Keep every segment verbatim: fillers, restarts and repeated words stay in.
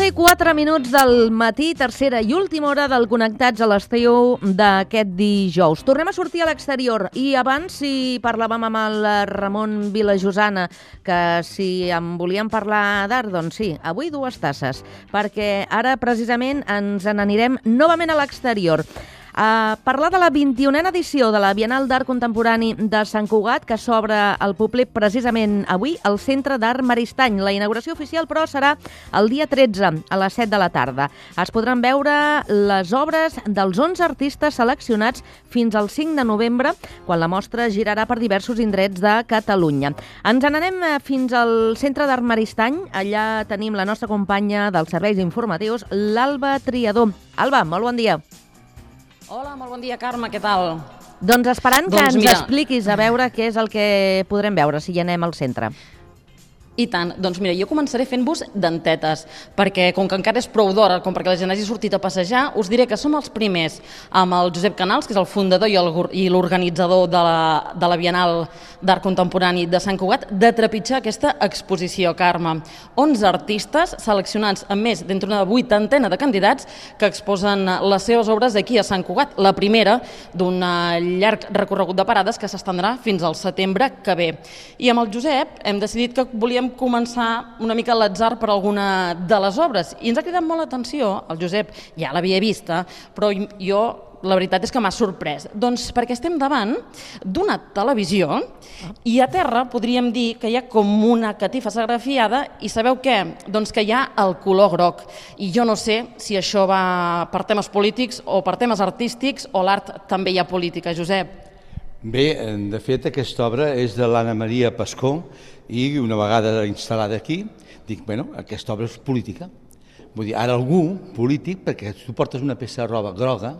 onze i quatre minuts del matí, tercera i última hora del Connectats a l'estiu d'aquest dijous. Tornem a sortir a l'exterior i abans, si parlàvem amb el Ramon Vilajosana, que si en volíem parlar d'art, doncs sí, avui dues tasses, perquè ara precisament ens n'anirem novament a l'exterior. A parlar de la vint-i-unena edició de la Bienal d'Art Contemporani de Sant Cugat, que s'obre al públic precisament avui al Centre d'Art Maristany. La inauguració oficial, però, serà el dia tretze, a les set de la tarda. Es podran veure les obres dels onze artistes seleccionats fins al cinc de novembre, quan la mostra girarà per diversos indrets de Catalunya. Ens n'anem fins al Centre d'Art Maristany. Allà tenim la nostra companya dels serveis informatius, l'Alba Triador. Alba, molt bon dia. Hola, molt bon dia, Carme, què tal? Doncs esperant que doncs ens mira... expliquis a veure què és el que podrem veure si hi anem al centre. I tant. Doncs mira, jo començaré fent-vos dentetes, perquè com que encara és prou d'hora, com perquè la gent hagi sortit a passejar, us diré que som els primers amb el Josep Canals, que és el fundador i l'organitzador de la, de la Bienal d'Art Contemporani de Sant Cugat, de trepitjar aquesta exposició, Carme. onze artistes seleccionats amb més d'entre una vuitantena de candidats que exposen les seves obres aquí a Sant Cugat, la primera d'un llarg recorregut de parades que s'estendrà fins al setembre que ve. I amb el Josep hem decidit que volíem començar una mica a l'atzar per alguna de les obres. I ens ha cridat molt l'atenció, el Josep ja l'havia vista, però jo la veritat és que m'ha sorprès. Doncs perquè estem davant d'una televisió i a terra podríem dir que hi ha com una catifa serigrafiada i sabeu què? Doncs que hi ha el color groc. I jo no sé si això va per temes polítics o per temes artístics o l'art també hi ha política, Josep. Bé, de fet, aquesta obra és de l'Anna Maria Pascó i una vegada instal·lada aquí, dic, bueno, aquesta obra és política. Vull dir, ara algú polític, perquè tu portes una peça de roba groga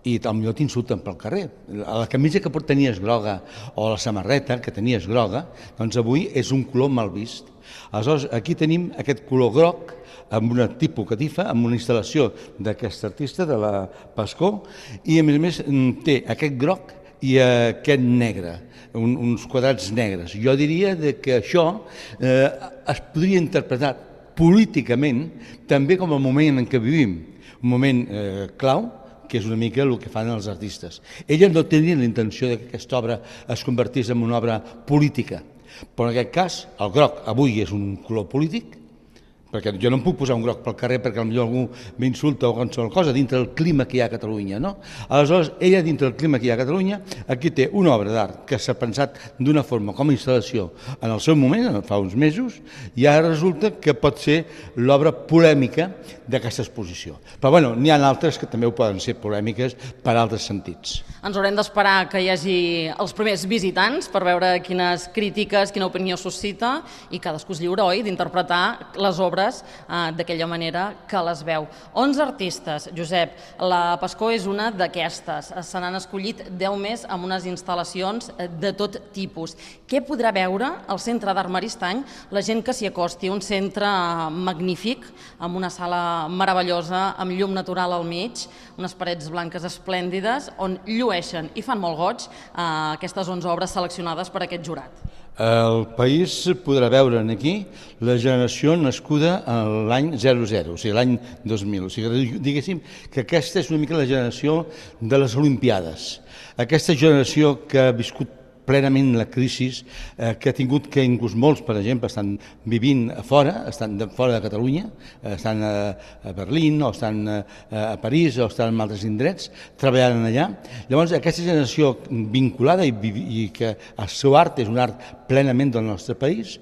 i potser t'insulten pel carrer. La camisa que tenies groga o la samarreta que tenies groga, doncs avui és un color mal vist. Aleshores, aquí tenim aquest color groc amb una tipus catifa, amb una instal·lació d'aquest artista, de la Pascó, i a més a més té aquest groc i aquest negre, un, uns quadrats negres. Jo diria que això eh, es podria interpretar políticament també com el moment en què vivim, un moment eh, clau, que és una mica el que fan els artistes. Ella no tenia la intenció que aquesta obra es convertís en una obra política, però en aquest cas el groc avui és un color polític, perquè jo no em puc posar un groc pel carrer perquè potser algú m'insulta o qualsevol cosa dintre del clima que hi ha a Catalunya, no? Aleshores, ella dintre del clima que hi ha a Catalunya, aquí té una obra d'art que s'ha pensat d'una forma com a instal·lació en el seu moment, fa uns mesos, i ara resulta que pot ser l'obra polèmica d'aquesta exposició. Però bueno, n'hi ha altres que també ho poden ser polèmiques per altres sentits. Ens haurem d'esperar que hi hagi els primers visitants per veure quines crítiques, quina opinió suscita i cadascú és lliure, oi?, d'interpretar les obres d'aquella manera que les veu. onze artistes, Josep. La Pascó és una d'aquestes. Se n'han escollit deu més amb unes instal·lacions de tot tipus. Què podrà veure al Centre d'Art Maristany la gent que s'hi acosti? Un centre magnífic, amb una sala meravellosa, amb llum natural al mig, unes parets blanques esplèndides, on llueixen i fan molt goig aquestes onze obres seleccionades per aquest jurat. El país podrà veure aquí la generació nascuda l'any zero zero, o sigui, l'any dos mil. O sigui, diguéssim que aquesta és una mica la generació de les Olimpiades. Aquesta generació que ha viscut plenament la crisi, eh, que ha tingut que inclús molts, per exemple, estan vivint a fora, estan de fora de Catalunya, estan a, a Berlín o estan a, a París o estan en altres indrets, treballant allà. Llavors, aquesta generació vinculada i, i que el seu art és un art plenament del nostre país,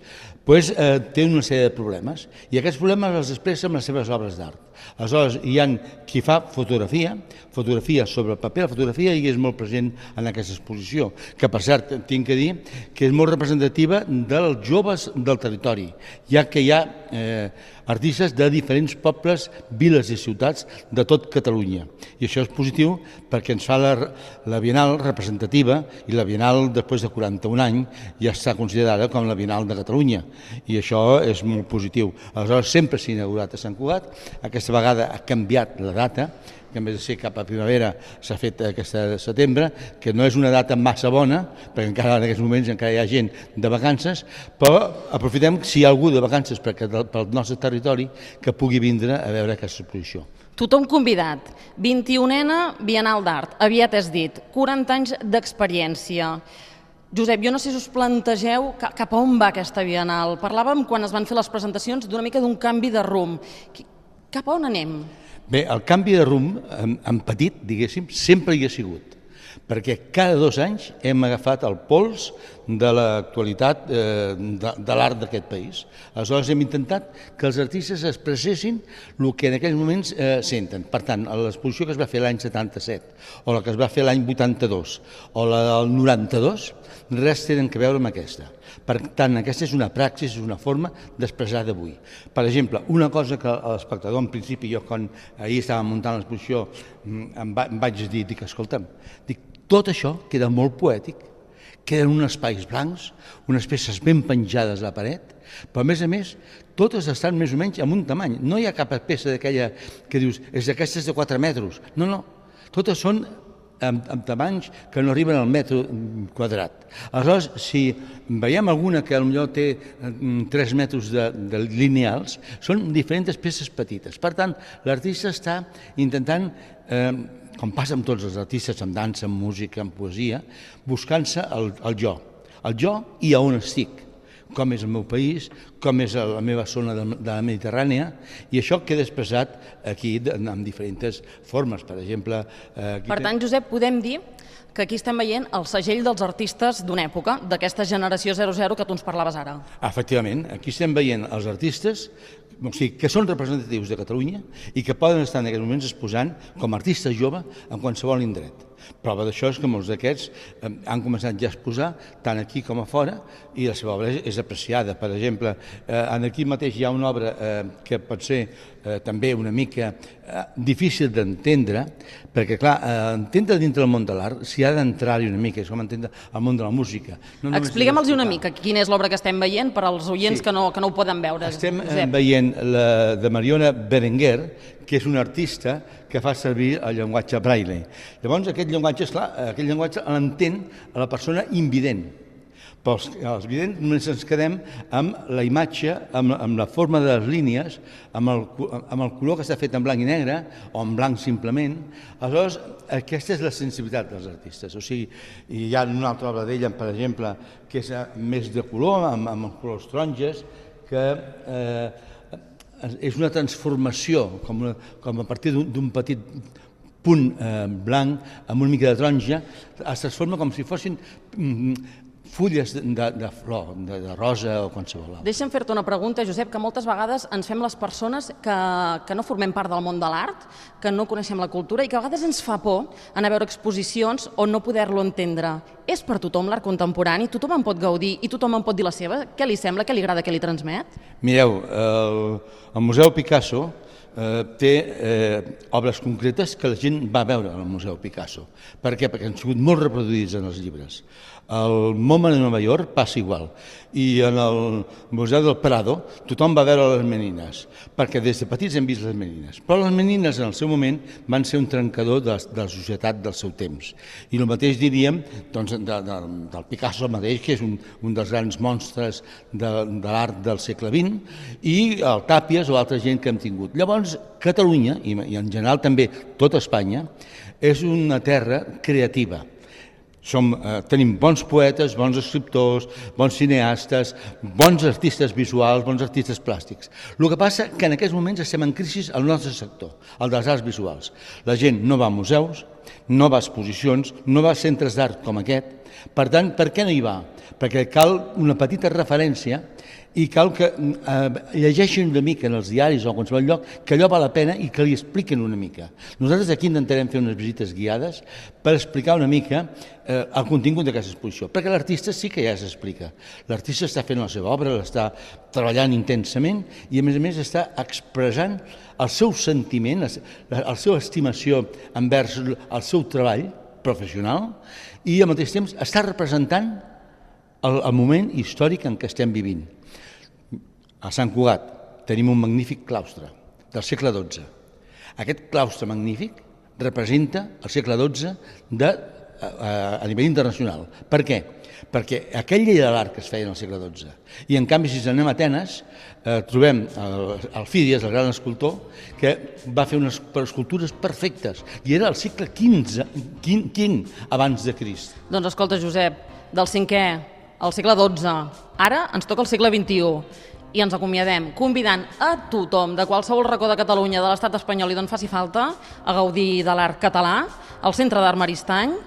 pues, eh, té una sèrie de problemes i aquests problemes els expressa amb les seves obres d'art. Aleshores, hi ha qui fa fotografia, fotografia sobre el paper, la fotografia hi és molt present en aquesta exposició, que per cert, tinc que dir que és molt representativa dels joves del territori, ja que hi ha eh, artistes de diferents pobles, viles i ciutats de tot Catalunya. I això és positiu perquè ens fa la, la Bienal representativa i la Bienal, després de quaranta-un anys, ja està considerada com la Bienal de Catalunya. I això és molt positiu. Aleshores, sempre s'ha inaugurat a Sant Cugat, aquesta vegada ha canviat la data que en vez de ser cap a primavera s'ha fet aquesta setembre, que no és una data massa bona, perquè encara en aquests moments encara hi ha gent de vacances, però aprofitem si hi ha algú de vacances pel nostre territori que pugui vindre a veure aquesta exposició. Tothom convidat. vint-i-unena Bienal d'Art. Aviat has dit, quaranta anys d'experiència. Josep, jo no sé si us plantegeu cap a on va aquesta Bienal. Parlàvem, quan es van fer les presentacions, d'una mica d'un canvi de rumb. Cap a on anem? Bé, el canvi de rumb, en petit, diguéssim, sempre hi ha sigut, perquè cada dos anys hem agafat el pols de l'actualitat de l'art d'aquest país. Aleshores hem intentat que els artistes expressessin el que en aquells moments senten. Per tant, l'exposició que es va fer l'any setanta-set, o la que es va fer l'any vuitanta-dos, o la del noranta-dos, res tenen a veure amb aquesta. Per tant, aquesta és una praxis, és una forma d'expressar d'avui. Per exemple, una cosa que l'espectador, en principi, jo quan ahir estava muntant l'exposició, em vaig dir, dic, escolta'm, dic, tot això queda molt poètic, queden uns espais blancs, unes peces ben penjades a la paret, però a més a més, totes estan més o menys amb un tamany. No hi ha cap peça d'aquella que dius, és d'aquestes de quatre metres. No, no, totes són amb, amb tamanys que no arriben al metre quadrat. Aleshores, si veiem alguna que potser té tres metres de, de lineals, són diferents peces petites. Per tant, l'artista està intentant, eh, com passa amb tots els artistes, en dansa, en música, en poesia, buscant-se el, el jo. El jo i a on estic, com és el meu país, com és la meva zona de, de la Mediterrània, i això queda expressat aquí en diferents formes. Per exemple... Eh, per tant, Josep, podem dir que aquí estem veient el segell dels artistes d'una època, d'aquesta generació zero zero que tu ens parlaves ara. Efectivament, aquí estem veient els artistes o sigui, que són representatius de Catalunya i que poden estar en aquests moments exposant com a artistes joves en qualsevol indret. Prova d'això és que molts d'aquests han començat ja a exposar tant aquí com a fora i la seva obra és apreciada. Per exemple, aquí mateix hi ha una obra que pot ser també una mica difícil d'entendre, perquè clar, entendre dintre del món de l'art s'hi ha d'entrar-hi una mica, és com entendre el món de la música. Expliquem-los una mica quina és l'obra que estem veient per als oients que no ho poden veure. Estem veient la de Mariona Berenguer, que és una artista que fa servir el llenguatge braille. Llavors, aquest llenguatge, esclar, aquest llenguatge l'entén a la persona invident. Però els, els vidents només ens quedem amb la imatge, amb, amb la forma de les línies, amb el, amb el color que està fet en blanc i negre, o en blanc simplement. Aleshores, aquesta és la sensibilitat dels artistes. O sigui, hi ha una altra obra d'ella, per exemple, que és més de color, amb, amb els colors taronges, que... Eh, és una transformació, com, una, com a partir d'un petit punt eh, blanc amb una mica de taronja, es transforma com si fossin mm, fulles de, de flor, de, de rosa o qualsevol altre. Deixa'm fer-te una pregunta, Josep, que moltes vegades ens fem les persones que, que no formem part del món de l'art, que no coneixem la cultura i que a vegades ens fa por anar a veure exposicions o no poder-lo entendre. És per tothom l'art contemporani? Tothom en pot gaudir i tothom en pot dir la seva? Què li sembla, què li agrada, què li transmet? Mireu, el, el Museu Picasso eh, té eh, obres concretes que la gent va veure al Museu Picasso. Per què? Perquè han sigut molt reproduïts en els llibres. Al MoMA de Nova York passa igual. I en el Museu del Prado tothom va veure les menines, perquè des de petits hem vist les menines. Però les menines en el seu moment van ser un trencador de, de la societat del seu temps. I el mateix diríem doncs, de, de, del Picasso mateix, que és un, un dels grans monstres de, de l'art del segle vint, i el Tàpies o altra gent que hem tingut. Llavors, Catalunya, i, i en general també tota Espanya, és una terra creativa. Som, eh, tenim bons poetes, bons escriptors, bons cineastes, bons artistes visuals, bons artistes plàstics. El que passa que en aquests moments estem en crisi al nostre sector, el dels arts visuals. La gent no va a museus, no va a exposicions, no va a centres d'art com aquest. Per tant, per què no hi va? Perquè cal una petita referència i cal que eh, llegeixin una mica en els diaris o a qualsevol lloc que allò val la pena i que li expliquen una mica. Nosaltres aquí intentarem fer unes visites guiades per explicar una mica eh, el contingut d'aquesta exposició, perquè l'artista sí que ja s'explica. L'artista està fent la seva obra, l'està treballant intensament i a més a més està expressant el seu sentiment, la, la seva estimació envers el seu treball professional i al mateix temps està representant el, el moment històric en què estem vivint. A Sant Cugat tenim un magnífic claustre del segle dotze. Aquest claustre magnífic representa el segle dotze de, a, a nivell internacional. Per què? Perquè aquell llei de l'art que es feia en el segle dotze, i en canvi si anem a Atenes, eh, trobem el, el Fídies, el gran escultor, que va fer unes escultures perfectes, i era el segle quinze, quin abans de Crist. Doncs escolta, Josep, del cinquè al segle dotze, ara ens toca el segle vint-i-u, i ens acomiadem convidant a tothom de qualsevol racó de Catalunya, de l'estat espanyol i d'on faci falta, a gaudir de l'art català, al Centre d'Art Maristany,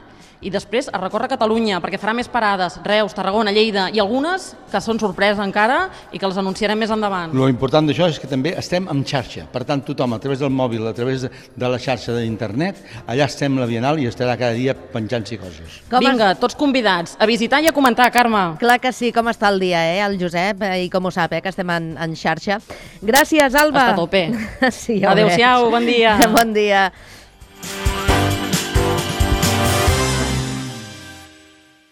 i després a recórrer Catalunya, perquè farà més parades, Reus, Tarragona, Lleida, i algunes que són sorpresa encara i que les anunciarem més endavant. Lo important d'això és que també estem en xarxa, per tant tothom a través del mòbil, a través de, de la xarxa d'internet, allà estem a la Bienal i estarà cada dia penjant-s'hi coses. Com Vinga, tots convidats a visitar i a comentar, Carme. Clar que sí, com està el dia, eh, el Josep, i com ho sap, eh, que estem en, en xarxa. Gràcies, Alba. Està a tope. Sí, ja adéu-siau, bon dia. Bon dia.